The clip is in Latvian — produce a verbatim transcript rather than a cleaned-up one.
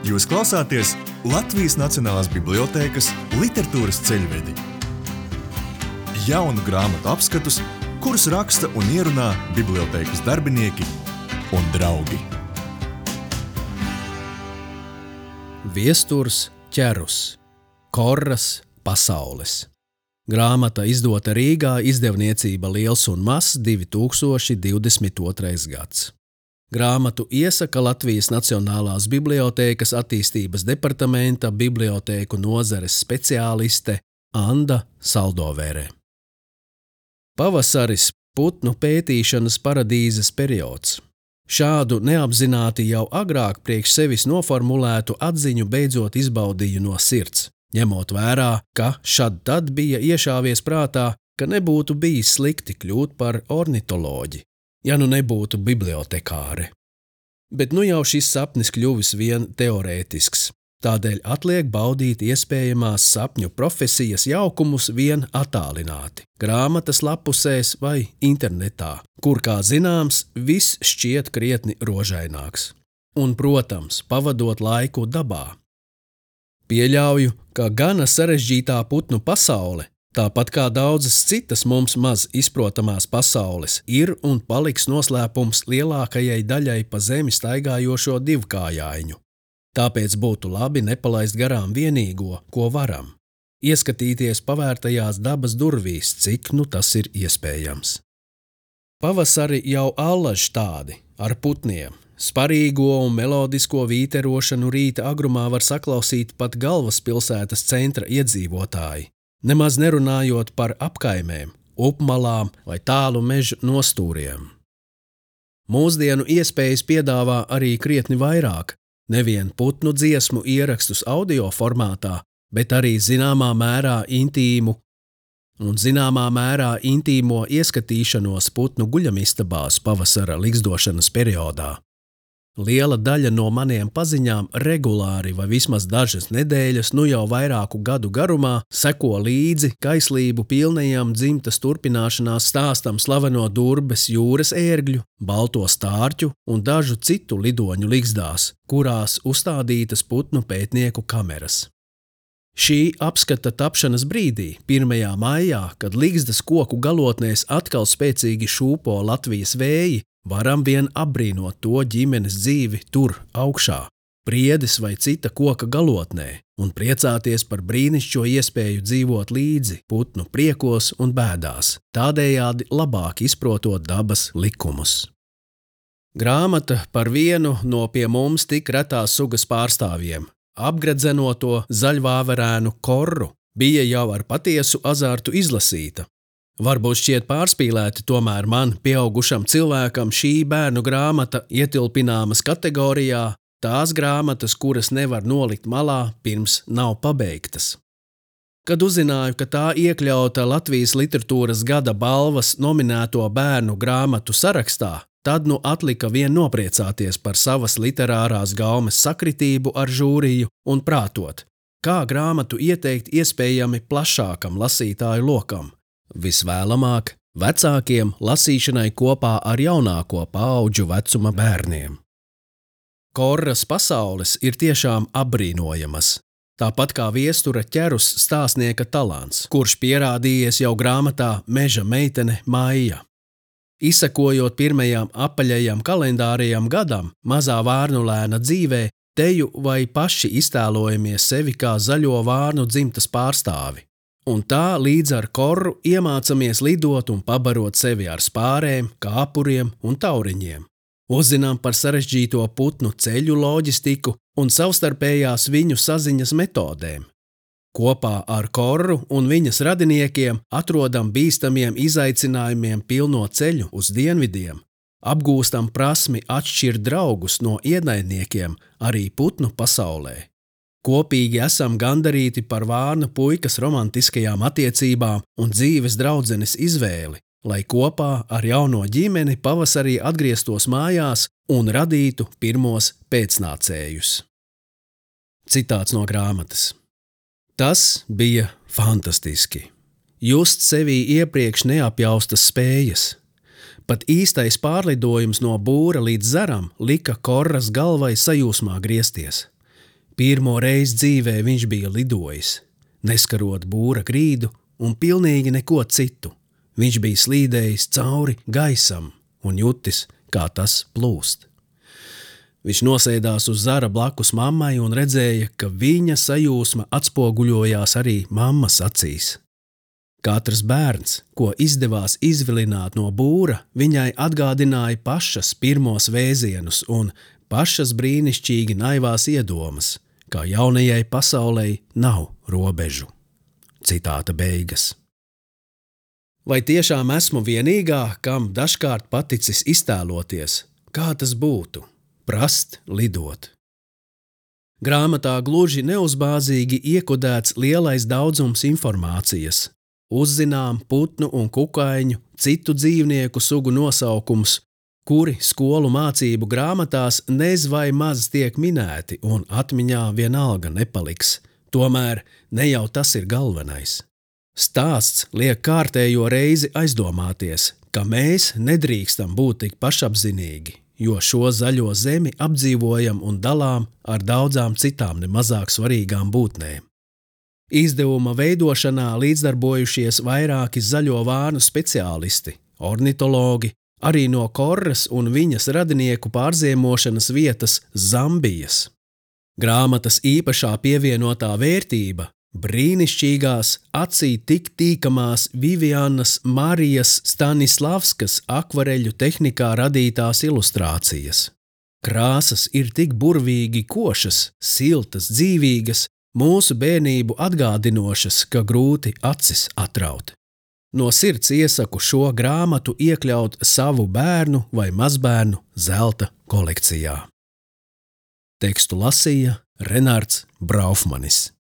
Jūs klausāties Latvijas Nacionālās bibliotēkas literatūras ceļvedi. Jaunu grāmatu apskatus, kurus raksta un ierunā bibliotēkas darbinieki un draugi. Viesturs Ķerus, Korras pasaules. Grāmata izdota Rīgā, izdevniecība Liels un Mazs, divi tūkstoši divdesmit otrais gads. Grāmatu iesaka Latvijas Nacionālās bibliotēkas attīstības departamenta bibliotēku nozares speciāliste Anda Saldovere. Pavasaris – putnu pētīšanas paradīzes periods. Šādu neapzināti jau agrāk priekš sevis noformulētu atziņu beidzot izbaudīju no sirds, ņemot vērā, ka šad tad bija iešāvies prātā, ka nebūtu bijis slikti kļūt par ornitoloģi, ja nu nebūtu bibliotekāre. Bet nu jau šis sapnis kļuvis vien teorētisks, tādēļ atliek baudīt iespējamās sapņu profesijas jaukumus vien attālināti, grāmatas lapusēs vai internetā, kur, kā zināms, viss šķiet krietni rožaināks. Un, protams, pavadot laiku dabā. Pieļauju, ka gana sarežģītā putnu pasaule, tāpat kā daudzas citas mums maz izprotamās pasaules, ir un paliks noslēpums lielākajai daļai pa zemi staigājošo divkājaiņu. Tāpēc būtu labi nepalaist garām vienīgo, ko varam. Ieskatīties pavērtajās dabas durvīs, cik nu tas ir iespējams. Pavasari jau allaž tādi, ar putniem. Sparīgo un melodisko vīterošanu rīta agrumā var saklausīt pat galvaspilsētas centra iedzīvotāji. Nemaz nerunājot par apkaimēm, upmalām vai tālu mežu nostūriem. Mūsdienu iespējas piedāvā arī krietni vairāk, nevien putnu dziesmu ierakstus audio formātā, bet arī zināmā mērā intīmu un zināmā mērā intīmo ieskatīšanos putnu guļamistabās pavasara ligzdošanas periodā. Liela daļa no maniem paziņām regulāri vai vismaz dažas nedēļas, nu jau vairāku gadu garumā, seko līdzi kaislību pilnajam dzimtas turpināšanās stāstam slaveno Durbes jūras ērgļu, balto stārķu un dažu citu lidoņu ligzdās, kurās uzstādītas putnu pētnieku kameras. Šī apskata tapšanas brīdī, pirmajā maijā, kad ligzdas koku galotnēs atkal spēcīgi šūpo Latvijas vēji, varam vien apbrīnot to ģimenes dzīvi tur augšā, priedes vai cita koka galotnē, un priecāties par brīnišķo iespēju dzīvot līdzi putnu priekos un bēdās, tādējādi labāk izprotot dabas likumus. Grāmata par vienu no pie mums tik retās sugas pārstāvjiem, apgredzenoto zaļvāverēnu korru, bija jau ar patiesu azartu izlasīta. Varbūt šķiet pārspīlēti, tomēr man, pieaugušam cilvēkam, šī bērnu grāmata ietilpināmas kategorijā tās grāmatas, kuras nevar nolikt malā, pirms nav pabeigtas. Kad uzzināju, ka tā iekļauta Latvijas literatūras gada balvas nominēto bērnu grāmatu sarakstā, tad nu atlika vien nopriecāties par savas literārās gaumes sakritību ar žūriju un prātot, kā grāmatu ieteikt iespējami plašākam lasītāju lokam. Visvēlamāk vecākiem lasīšanai kopā ar jaunāko paauģu vecuma bērniem. Korras pasaules ir tiešām apbrīnojamas, tāpat kā Viestura Ķerus stāstnieka talants, kurš pierādījies jau grāmatā Meža meitene Maija. Izsekojot pirmajām apaļajam kalendārajam gadam, mazā vārnulēna dzīvē, teju vai paši iztēlojamies sevi kā zaļo vārnu dzimtas pārstāvi. Un tā līdz ar korru iemācamies lidot un pabarot sevi ar spārēm, kāpuriem un tauriņiem. Uzzinām par sarežģīto putnu ceļu loģistiku un savstarpējās viņu saziņas metodēm. Kopā ar korru un viņas radiniekiem atrodam bīstamiem izaicinājumiem pilno ceļu uz dienvidiem, apgūstam prasmi atšķirt draugus no ienaidniekiem arī putnu pasaulē. Kopīgi esam gandarīti par vārnu puikas romantiskajām attiecībām un dzīves draudzenes izvēli, lai kopā ar jauno ģimeni pavasarī atgrieztos mājās un radītu pirmos pēcnācējus. Citāts no grāmatas. Tas bija fantastiski. Just sevī iepriekš neapjaustas spējas. Pat īstais pārlidojums no būra līdz zaram lika Korras galvai sajūsmā griezties. Pirmo reizi dzīvē viņš bija lidojis, neskarot būra grīdu un pilnīgi neko citu. Viņš bija slīdējis cauri gaisam un jutis, kā tas plūst. Viņš nosēdās uz zara blakus mammai un redzēja, ka viņa sajūsma atspoguļojās arī mammas acīs. Katrs bērns, ko izdevās izvilināt no būra, viņai atgādināja pašas pirmos vēzienus un pašas brīnišķīgi naivās iedomas, kā jaunajai pasaulei nav robežu. Citāta beigas. Vai tiešām esmu vienīgā, kam dažkārt paticis iztēloties, kā tas būtu? Prast lidot. Grāmatā gluži neuzbāzīgi iekodēts lielais daudzums informācijas. Uzzinām putnu un kukaiņu, citu dzīvnieku sugu nosaukums, kuri skolu mācību grāmatās nez vai maz tiek minēti un atmiņā vienalga nepaliks. Tomēr ne jau tas ir galvenais. Stāsts liek kārtējo reizi aizdomāties, ka mēs nedrīkstam būt tik pašapzinīgi, jo šo zaļo zemi apdzīvojam un dalām ar daudzām citām nemazāk svarīgām būtnēm. Izdevuma veidošanā līdzdarbojušies vairāki zaļo vānu speciālisti, ornitologi, arī no Korras un viņas radinieku pārziemošanas vietas Zambijas. Grāmatas īpašā pievienotā vērtība – brīnišķīgās, acī tik tīkamās Vivianas Marijas Stanislavskas akvareļu tehnikā radītās ilustrācijas. Krāsas ir tik burvīgi košas, siltas, dzīvīgas, mūsu bērnību atgādinošas, ka grūti acis atraut. No sirds iesaku šo grāmatu iekļaut savu bērnu vai mazbērnu zelta kolekcijā. Tekstu lasīja Renārds Braufmanis.